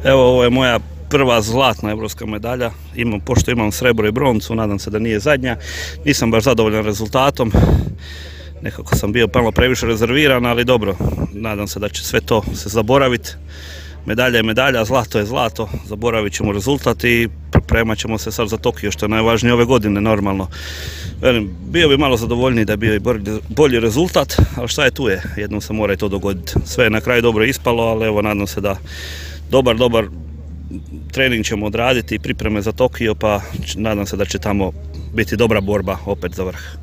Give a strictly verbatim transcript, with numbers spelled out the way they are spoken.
Evo, ovo je moja prva zlatna evropska medalja. Imam, pošto imam srebro i broncu, nadam se da nije zadnja. Nisam baš zadovoljan rezultatom. Nekako sam bio malo previše rezerviran, ali dobro, nadam se da će sve to se zaboraviti. Medalja je medalja, zlato je zlato, zaboravit ćemo rezultat i pripremat ćemo se sad za Tokio, što je najvažnije ove godine normalno. Velim, bio bi malo zadovoljniji da je bio i bolji rezultat, ali šta je tu je, jednom se mora i to dogoditi. Sve je na kraju dobro ispalo, ali evo, nadam se da dobar, dobar trening ćemo odraditi i pripreme za Tokio, pa nadam se da će tamo biti dobra borba opet za vrh.